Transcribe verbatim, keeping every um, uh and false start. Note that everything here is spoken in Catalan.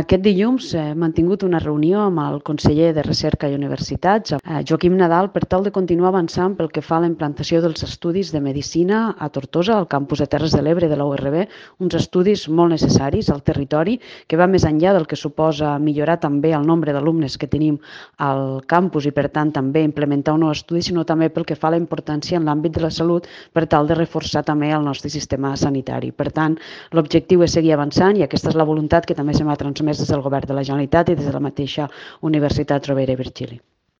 Aquest dilluns hem mantingut una reunió amb el conseller de Recerca i Universitats, Joaquim Nadal, per tal de continuar avançant pel que fa a la implantació dels estudis de Medicina a Tortosa, al campus de Terres de l'Ebre de la U R B, uns estudis molt necessaris al territori, que va més enllà del que suposa millorar també el nombre d'alumnes que tenim al campus i, per tant, també implementar un nou estudi, sinó també pel que fa a la importància en l'àmbit de la salut per tal de reforçar també el nostre sistema sanitari. Per tant, l'objectiu és seguir avançant i aquesta és la voluntat que també se m'ha transmès des del Govern de la Generalitat i des de la mateixa Universitat Rovira i Virgili.